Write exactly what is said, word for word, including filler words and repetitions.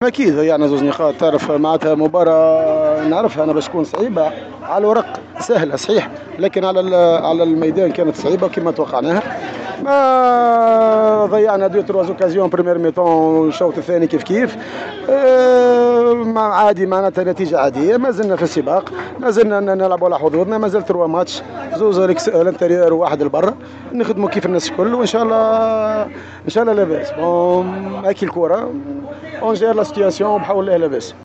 اكيد ضيعنا زوز نقاط. تعرف معناتها مباراة نعرفها انا باش تكون صعيبه، على الورق سهلة صحيح، لكن على على الميدان كانت صعيبة كما توقعناها. ما ضيعنا deux trois occasions première mi-temps، الشوط الثاني كيف كيف. أه عادي، معناتها نتيجة عاديه. ما زلنا في السباق، ما زلنا نلعبوا على حظوظنا. ما زال trois matchs، زوز à l'intérieur وواحد لبرا. نخدموا كيف الناس الكل وان شاء الله ان شاء الله لاباس. bon، هاكي الكره، on gère la situation، بحول الله لاباس.